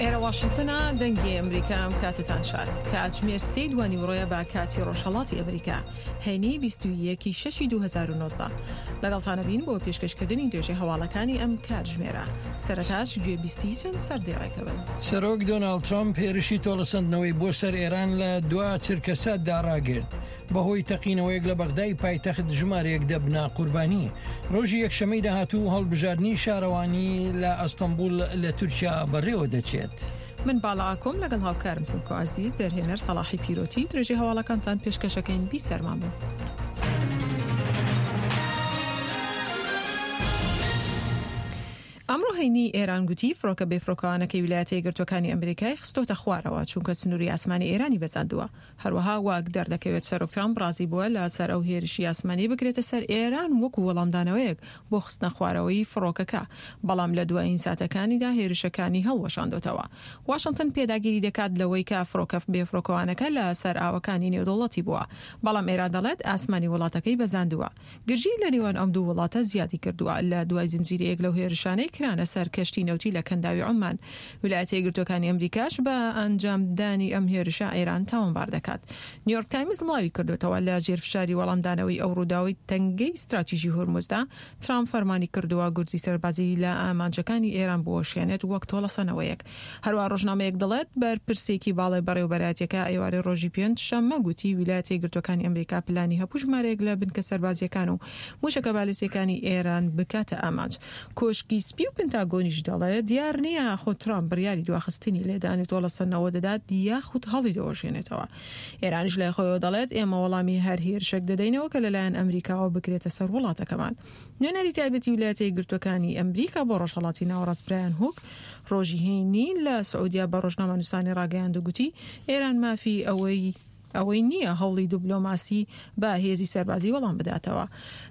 ئێرە واشنتنە دەنگی ئەمریکا ئەم کاتتان شاد کاتژمێر سێ دوانیوڕۆیە بە کاتی ڕۆژهەڵاتی ئەمریکا هەینی 21 شەشی 2019 لەگەڵتانە بین بۆ پێشکەشکردنی درێژەی هەواڵەکانی ئەم کاتژمێرە سەرەتاش گوێ بیستی چەند سەردێڕێکە بن. سەرۆک دۆناڵد ترەمپ هێرشی تۆڵەسەندنەوەی بۆ سەر ئێران لە دوا چرکەساتدا ڕاگرت، بەهۆی تەقینەوەیەک لە بەغدای پایتەخت ژمارەیەک دەبنە قوربانی. ڕۆژی یەکشەمەی داهاتوو هەڵبژاردنی شارەوانی لە ئەستەنبوڵ لە تورکیا بەڕێوە دەچێت. من باڵا ئاکۆم لەگەڵ هاوکارم سمکۆ عەزیز، دەرهێنەر سەڵاحی پیرۆتی، درێژەی هەواڵەکانتان پێشکەشەکەین بیسەرمان بن. ئەمڕۆ هەینی ئێران گوتی فڕۆکە بێفڕۆکەوانەکەی ویلایەتە یەکگرتووەکانی ئەمریکای خستۆتە خوارەوە چونکە سنووری ئاسمانی ئێرانی بەزاندووە. هەروەها واک دەردەکەوێت سەرۆک ترامپ ڕازی بووە لە سەر ئەو هێرشی ئاسمانی بکرێتە سەر ئێران وەکو وەڵامدانەوەیەک بۆ خستنە خوارەوەی فڕۆکەکە، بەڵام لە دوایین ساتەکانیدا هێرشەکانی هەڵوەشاندۆتەوە. واشنتن پێداگیری دەکات لەوەی کە فڕۆکە بێفڕۆکەوانەکە لە سەر ئاوەکانی نێودەوڵەتی بووە، بەڵام ئێران دەڵێت ئاسمانی وڵاتەکەی بەزاندووە. گرژی لە نێوان ئەم دوو وڵاتە زیادی کردووە لە دوای زنجیرەیەک لەو هێرشانەی کرانە سەر کەشتی نەوتی لە کەنداوی عوممان. ویلایەتە یەکگرتووەکانی ئەمریکاش بە ئەنجامدانی ئەم هێرشە ئێران تاوانبار دەکات. نیویۆرک تایمز بڵاوی کردووەتەوە لە ژێر فشاری وەڵامدانەوەی ئەو ڕووداوەی تەنگەی ستراتیژی هورمزدا، ترامپ فەرمانی کردووە گورزی سەربازی لە ئامانجەکانی ئێران بوەشێنێت وەک تۆڵەسەنەوەیەک. هەروەها ڕۆژنامەیەک دەڵێت، بەرپرسێکی باڵای بەڕێوەبەرایەتیەکە ئێوارەی ڕۆژی پێنج شەممە گوتی ویلایەتە یەکگرتووەکانی ئەمریکا پلانی هەبوو ژمارەیەک لە بنکە سەربازییەکان و موشەکە بالستیەکانی ئێران بکاتە ئامانج. کۆشکی سپی و پنتاگۆنیش دەڵێت، دیار نییە ئاخۆ ترامپ بڕیاری دواخستنی لێدانی تۆڵەسەندنەوە دەدات یاخود هەڵیدەوەشێنێتەوە. ئێرانیش لای خۆیەوە دەڵێت، ئێمە وەڵامی هەر هێرشێک دەدەینەوە کە لەلایەن ئەمریکاوە بکرێتە سەر وڵاتەکەمان. نوێنەری تایبەتی ویلایەتە یەکگرتووەکانی ئەمریکا بۆ ڕۆژهەڵاتی ناوەڕاست برایان هوک ڕۆژی هەینی لە سعودیا بە ڕۆژنامەنووسانی ڕاگەیاند و گوتی ئێران مافی ئەوەی ئەوەی نییە هەوڵی دبلۆماسی بە هێزی سەربازی وەڵام بداتەوە.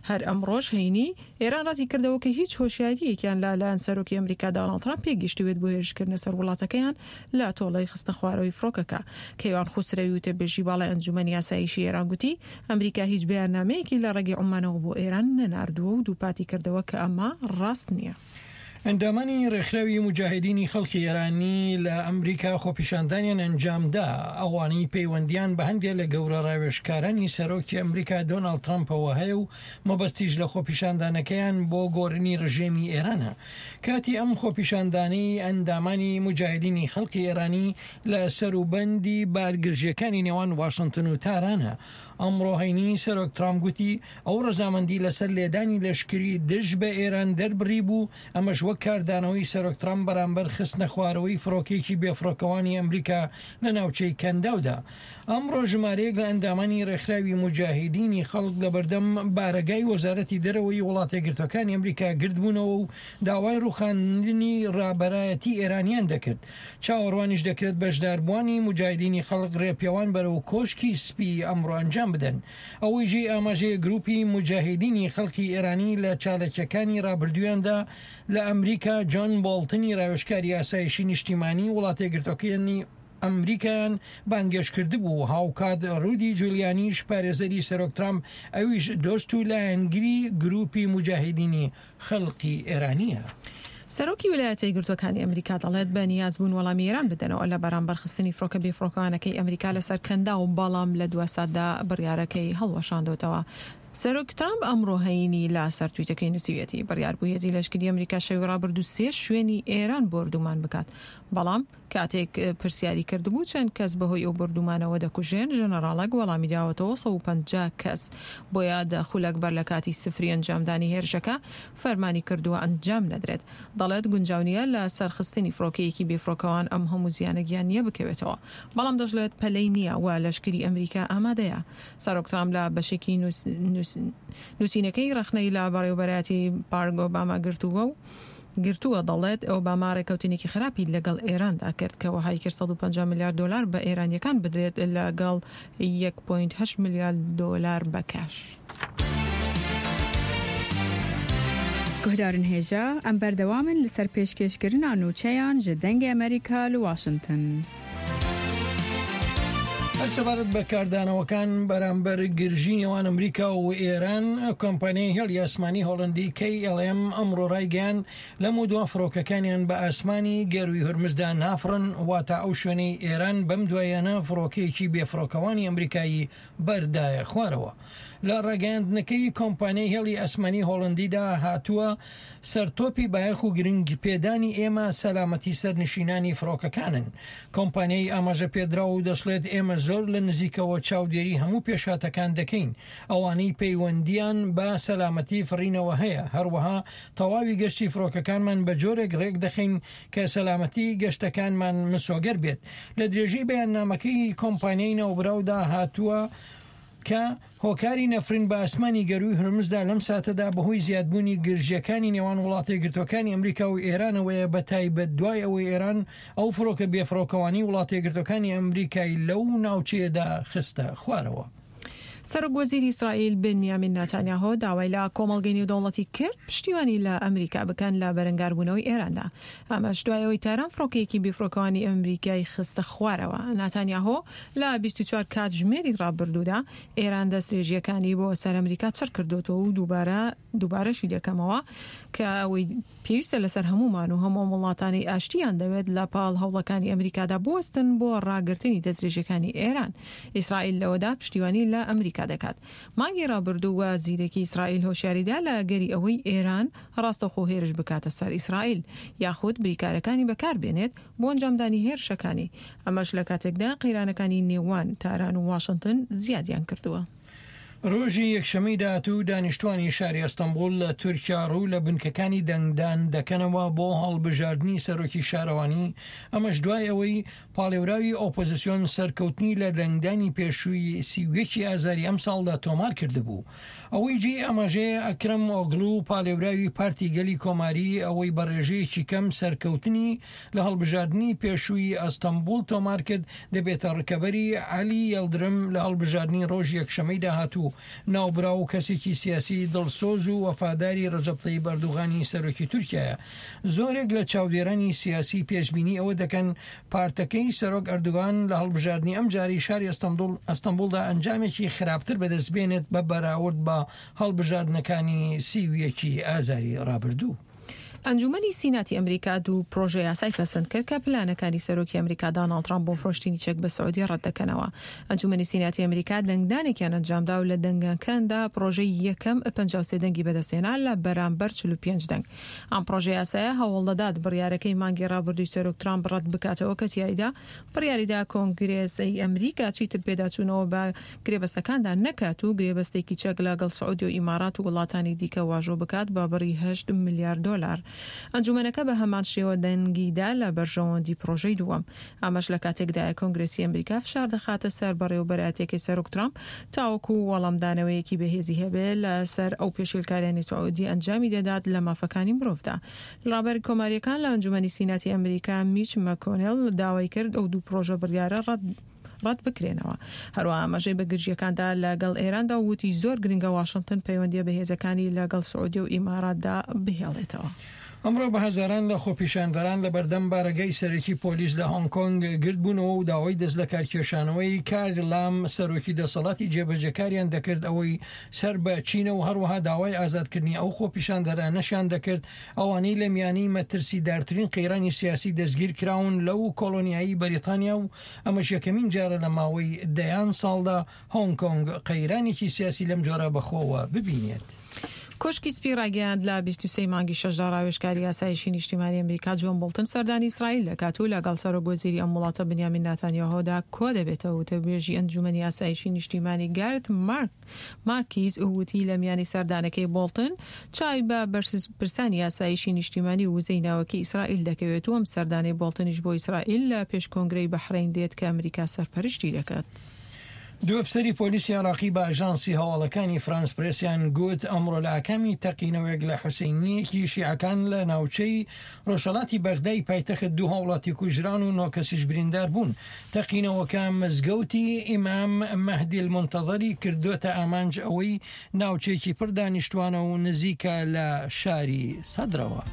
هەر ئەمڕۆش هەینی، ئێران ڕەتی کردەوە کە هیچ هۆشیارییەکیان لە لایەن سەرۆکی ئەمریکا داناڵد ترامپ پێگەیشتبێت بۆ هێرشکردنە سەر وڵاتەکەیان لە تۆڵەی خستنەخوارەوەی فڕۆکەکە. کەیوان خوسرەوی وتەبێژی باڵای ئەنجومەنی ئاسایشی ئێران گوتی، ئەمریکا هیچ بەیاننامەیەکی لە ڕێگەی عومانەوە بۆ ئێران نەناردووە و دووپاتی کردەوە کە ئەمە ڕاست نییە. ئەندامانی ڕێکخراوی موجاهیدینی خەڵکی ئێرانی لە ئەمریکا خۆپیشاندانیان ئەنجامدا، ئەوانەی پەیوەندیان بە هەندێ لە گەورە ڕاوێژکارانی سەرۆکی ئەمریکا دۆناڵد ترەمپەوە هەیە و مەبەستیش لە خۆپیشاندانەکەیان بۆ گۆڕینی ڕژێمی ئێرانە. کاتی ئەم خۆپیشاندانەی ئەندامانی موجاهیدینی خەڵکی ئێرانی لە سەروبەندی بارگرژییەکانی نێوان واشنتن و تارانە. ئەمڕۆ هەینی سەرۆک ترامپ گوتی ئەو ڕەزامەندی لەسەر لێدانی لەشکری دژ بە ئێران دەربڕیبوو، ئەمەش وەک کاردانەوەی سەرۆک ترامپ بەرامبەر خستنەخوارەوەی فڕۆکەیەکی بێفڕۆکەوانی ئەمریکا لە ناوچەی کەنداودا. ئەمڕۆ ژمارەیەک لە ئەندامانی ڕێکخراوی موجاهیدینی خەڵک لەبەردەم بارەگای وەزارەتی دەرەوەی وڵاتەیەکگرتووەکانی ئەمریکا گردبوونەوە و داوای ڕووخاندنی ڕابەرایەتی ئێرانیان دەکرد. چاوەڕوانیش دەکرێت بەشداربووانی موجاهیدینی خەڵک ڕێپێوان بەرەو کۆشکی سپی ئەمڕۆ ئەنجام بدەن. ئەوەی جێی ئاماژەیە گروپی موجاهیدینی خەڵکی ئێرانی لە چاالکیەکانی ڕابردوویاندا لە ئەمریکا جۆن بۆڵتنی ڕاوێژکاری ئاسایشی نیشتیمانی وڵاتەیەکگرتووەکانی ئەمریکایان بانگێشتکردبوو، هاوکات رودی جولیانیش پارێزەری سەرۆک ترامپ ئەویش دۆست و لایەنگری گروپی موجاهیدینی خەڵقی ئێرانییە. سەرۆکی ویلایەتە یەکگرتووەکانی ئەمریکا دەڵێت، بە نیاز بوون وەڵامی ئێران بدەنەوە لە بەرامبەر خستنی فڕۆکە بێفڕۆکەوانەکەی ئەمریکا لەسەر کەنداو، بەڵام لە دوا ساتدا بڕیارەکەی هەڵوەشاندۆتەوە. سەرۆک ترامپ ئەمڕۆ هەینی لە سەر تویتەکەی نووسیویەتی، بڕیار بوو هێزی لەشکری ئەمریکا شەوی ڕابردوو سێ شوێنی ئێران بۆردومان بکات، بەڵام کاتێک پرسیاری کردبوو چەند کەس بەهۆی ئەو بۆردومانەوە دەکوژرێن، ژەنەڕاڵەک وەڵامی داوەتەوە 150 کەس. بۆیە دە خولەک بەر لە کاتی سفری ئەنجامدانی هێرشەکە فەرمانی کردووە ئەنجام نەدرێت. دەڵێت گونجاو نییە لە سەرخستنی فڕۆکەیەکی بێفڕۆکەوان ئەم هەموو زیانە گیانییە بکەوێتەوە. بەڵام دەشڵێت پەلەی نییە و لەشکری ئەمریکا ئامادەیە. سەرۆک ترامپ لە بەشێکی نووسینەکەی ڕەخنەی لە بەڕێوەبەرایەتی بارک ئۆباما گرتووە و گرتووە، دەڵێت، ئۆباما رێککەوتنێکی خراپی لەگەڵ ئێراندا کرد کە وەهای کرد 150 ملیار دۆلار بە ئێرانییەکان بدرێت لەگەڵ یەک پۆینت هەشت ملیار دۆلار بە کاش. Guhdarên hêja, em berdewam in li ser pêşkêşkirina nûçeyan ji Dengê Amerîka li Washington. هەر سەبارەت بە کاردانەوەکان بەرامبەر گرژی نێوان ئەمریکا و ئێران، کۆمپانیای هێڵی ئاسمانی هۆڵەندی KLM ئەمڕۆ ڕایگەیاند، لەمەودوا فڕۆکەکانیان بە ئاسمانی گەرووی هورمزدا نافڕن، واتە ئەو شوێنەی ئێران بەم دواییانە فڕۆکەیەکی بێفڕۆکەوانی ئەمریکایی بەردایە خوارەوە. لە ڕاگەیاندنەکەی کۆمپانیای هێڵی ئاسمانی هۆڵەندیدا هاتووە، سەرتۆپی بایەخ و گرنگیپێدانی ئێمە سەلامەتی سەرنشینانی فڕۆکەکانن. کۆمپانیای ئاماژە پێدراو دەشڵێت ئێمە زۆر لە نزیکەوە چاودێری هەموو پێشهاتەکان دەکەین، ئەوانەی پەیوەندییان بە سەلامەتی فڕینەوە هەیە، هەروەها تەواوی گەشتی فڕۆکەکانمان بە جۆرێک ڕێکدەخەین کە سەلامەتی گەشتەکانمان مسۆگەر بێت. لە درێژەی بەیاننامەکەی کۆمپانیای ناوبراودا هاتووە کە هۆکاری نەفرین بە ئاسمانی گەرووی هورمزدا لەم ساتەدا بەهۆی زیادبوونی گرژییەکانی نێوان وڵاتەیەکگرتووەکانی ئەمریکا و ئێرانەوەیە بەتایبەت دوای ئەوەی ئێران ئەو فڕۆکە بێفڕۆکەوانەی وڵاتەیەکگرتووەکانی ئەمریکای لەو ناوچەیەدا خستە خوارەوە. سەرۆک وەزیری ئیسرائیل بنیامین ناتانیاهۆ داوای لە کۆمەڵگەی نێودەوڵەتی کرد پشتیوانی لە ئەمریکا بکەن لە بەرەنگاربوونەوەی ئێراندا، ئەمەش دوای ئەوەی تاران فڕۆکەیەکی بێفڕۆکەوانی ئەمریکای خستە خوارەوە. ناتانیاهۆ لە 24 کاتژمێری ڕابردوودا ئێران دەستدرێژییەکانی بۆ سەر ئەمریکا چڕ کردۆتەوە و دووبارە دووبارەشی دەکەمەوە کە ئەوەی پێویستە لەسەر هەموومان و هەموو ئەم وڵاتانەی ئاشتییان دەوێت لە پاڵ هەوڵەکانی ئەمریکادا بوەستن بۆ ڕاگرتنی دەستدرێژیەکانی ئێران. ئیسرائیل لەوەدا پشتیوانی لە ئەمریکا دەکات. مانگی ڕابردوو وەزیرێکی ئیسرائیل هۆشیاریدا لە ئەگەری ئەوەی ئێران ڕاستەوخۆ هێرش بکاتە سەر ئیسرائیل یاخود بریکارەکانی بەکاربێنێت بۆ ئەنجامدانی هێرشەکانی، ئەمەش لە کاتێکدا قەیرانەکانی نێوان تاران و واشنتن زیادیان کردووە. ڕۆژی یەکشەممەی داهاتوو دانیشتوانی شاری ئەستەنبوڵ لە تورکیا ڕوو لە بنکەکانی دەنگدان دەکەنەوە بۆ هەڵبژاردنی سەرۆکی شارەوانی، ئەمەش دوای ئەوەی پاڵێوراوی ئۆپۆزسیۆن سەرکەوتنی لە دەنگدانی پێشووی 31 ی ئازاری ئەمساڵدا تۆمار کردبوو. ئەوەی جێی ئاماژەیە ئەکرەم ئۆگڵو پاڵێوراوی پارتی گەلی کۆماری ئەوەی بە ڕێژەیەکی کەم سەرکەوتنی لە هەڵبژاردنی پێشووی ئەستەنبوڵ تۆمارکرد، دەبێتە ڕکەبەری عەلی یەڵدرم لە هەڵبژاردنی ڕۆژی یەکشەمەی داهاتوو. ناوبراو کەسێکی سیاسی دڵسۆز و وەفاداری ڕەجەب تەیب ئەردوغانی سەرۆکی تورکیایە. زۆرێک لە چاودێرانی سیاسی پێشبینی ئەوە دەکەن پارتەکەی سەرۆک ئەردوغان لە هەڵبژاردنی ئەمجارەی شاری ئەستەنبوڵدا ئەنجامێکی خراپتر بەدەستبێنێت بە بەراورد بە هەڵبژاردنەکانی 31 ی ئازاری ڕابردوو. ئەنجومەنی سیناتی ئەمریکا دوو پرۆژە یاسای پەسەند کرد کە پلانەکانی سەرۆکی ئەمریکا داناڵد ترامپ بۆ فرۆشتنی چەک بە سعودیە ڕەتدەکەنەوە. ئەنجومەنی سیناتی ئەمریکا دەنگدانێکیان ئەنجامدا و لە دەنگەکاندا پرۆژەی یەکەم 53 دەنگی بەدەستهێنا لە بەرامبەر 45 دەنگ. ئەم پرۆژە یاسایە هەوڵدەدات بڕیارەکەی مانگی ڕابردووی سەرۆک ترامپ ڕەت بکاتەوە کە تیایدا بڕیاریدا کۆنگرێسی ئەمریکا چیتر پێداچوونەوە بە گرێبەستەکاندا نەکات و گرێبەستێکی چەک لەگەڵ سعودیە و ئیمارات و وڵاتانی دیکە واژۆ بکات بە بڕی هەشت ملیار دۆلار. ئەنجومەنەکە بە هەمان شێوە دەنگی دا لە بەرژەوەندی پڕۆژەی دووەم. ئەمەش لە کاتێکدایە کۆنگرێسی ئەمریکا فشار دەخاتە سەر بەڕێوەبەرایەتیەکەی سەرۆک ترامپ تاوەکو وەڵامدانەوەیەکی بەهێزی هەبێت لەسەر ئەو پێشێلکاریانەی سعودیە ئەنجامی دەدات لە مافەکانی مرۆڤدا. ڕابەری کۆمارییەکان لە ئەنجومەنی سیناتی ئەمریکا میچ مەکۆنێڵ داوای کرد ئەو دوو پڕۆژە بڕیارە ڕەت ڕەت بکرێنەوە. هەروەها ئاماژەی بە گرژییەکاندا لەگەڵ ئێراندا و وتی زۆر گرنگە واشنتن پەیوەندییە بەهێزەکانی لەگەڵ سعودیە و ئیماراتدا بهێڵێتەوە. ئەمڕۆ بە هەزاران لە خۆپیشاندەران لە بەردەم بارەگای سەرەکی پۆلیس لە هۆنگ کۆنگ گردبوونەوە و داوای دەستلەکارکێشانەوەی کاری لام سەرۆکی دەسەڵاتی جێبەجێکاریان دەکرد ئەوەی سەر بە چینە و هەروەها داوای ئازادکردنی ئەو خۆپیشاندەرانەشیان دەکرد ئەوانەی لە میانەی مەترسیدارترین قەیرانی سیاسی دەستگیرکراون لەو کۆڵۆنیایی بەریتانیا و ئەمەش یەکەمین جارە لە ماوەی دەیان ساڵدا هۆنگ کۆنگ قەیرانێکی سیاسی لەم جۆرە بەخۆوە ببینێت. کۆشکی سپی ڕایگەیاند، لە 23 ی مانگی شەشدا ڕاوێژکاری ئاسایشی نیشتیمانی ئەمریکا جۆن بۆڵتن سەردانی ئیسرائیل دەکات و لەگەڵ سەرۆک وەزیری ئەم وڵاتە بنیامین ناتانیاهۆدا کۆدەبێتەوە. وتەبێژی ئەنجومەنی ئاسایشی نیشتیمانی گارت مارک مارکیز وتی لە میانی سەردانەکەی بۆڵتن چاوی بە بەرپرسانی ئاسایشی نیشتیمانی و وزەی ناوەکی ئیسرائیل دەکەوێت و ئەم سەردانەی بۆڵتنیش بۆ ئیسرائیل لە پێش کۆنگرەی بەحرەین دێت کە ئەمریکا سەرپەرشتی دەکات. دوو ئەفسەری پۆلیسی عێراقی بە ئاژانسی هەواڵەکانی فرانس پرێسیان گوت، ئەمڕۆ لە ئاکامی تەقینەوەیەک لە حوسەینییەکی شیعەکان لە ناوچەی ڕۆژهەڵاتی بەغدای پایتەخت دوو هاوڵاتی کوژران و نۆ کەسیش بریندار بوون. تەقینەوەکە مزگەوتی ئیمام مەهدی المونتەزەری کردۆتە ئامانج ئەوەی ناوچەیەکی پڕ دانیشتوانە و نزیکە لە شاری سەدرەوە.